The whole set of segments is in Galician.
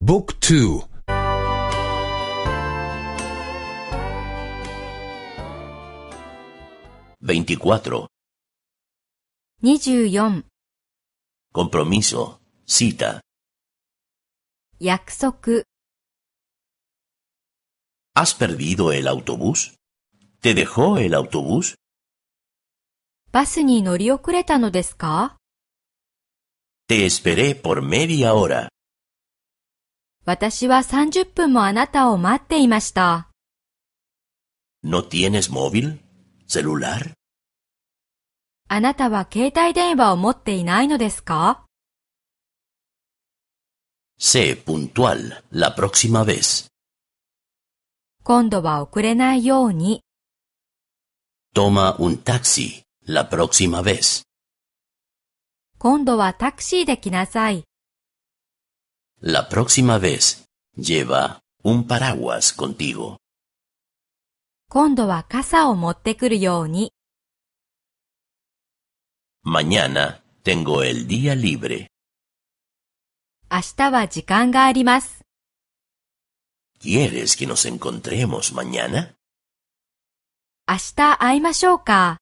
บุ๊กทู24 Compromiso, cita. 約束 ¿Has perdido el autobús? ¿Te dejó el autobús? バスに乗り遅れたのですか？ Te esperé por media hora. 私は30分もあなたを待っていました。¿No tienes móvil? ¿Celular? あなたは携帯電話を持っていないのですか？ Sé puntual la próxima vez. 今度は遅れないように。Toma un taxi la próxima vez. 今度はタクシーで来なさい。La próxima vez lleva un paraguas contigo. 今度は傘を持ってくるように。Mañana tengo el día libre. 明日は時間があります。¿Quieres que nos encontremos mañana? 明日会いましょうか。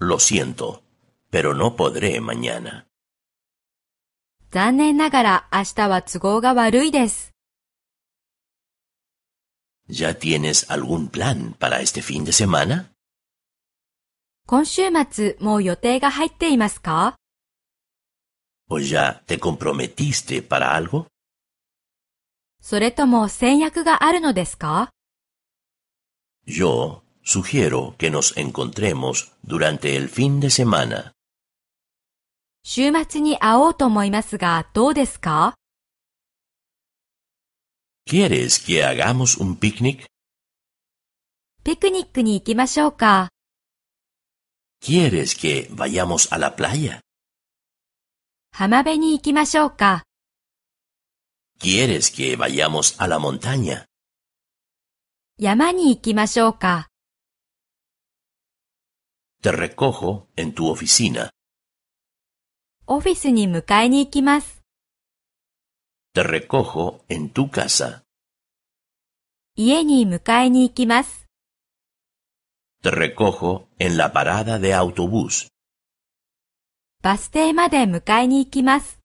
Lo siento, pero no podré mañana. 残念ながら明日は都合が悪いです。¿Ya tienes algún plan para este fin de semana? 今週末もう予定が入っていますか？ ¿O ya te comprometiste para algo? それとも先約があるのですか？ Yo sugiero que nos encontremos durante el fin de semana. 週末に会おうと思いますが、どうですか？ ¿Quieres que hagamos un picnic? ピクニックに行きましょうか。¿Quieres que vayamos a la playa? 浜辺に行きましょうか。¿Quieres que vayamos a la montaña? 山に行きましょうか。Te recojo en tu oficina. オフィスに迎えに行きます。Te recojo en tu casa. 家に迎えに行きます。Te recojo en la parada de autobús. バス停まで迎えに行きます。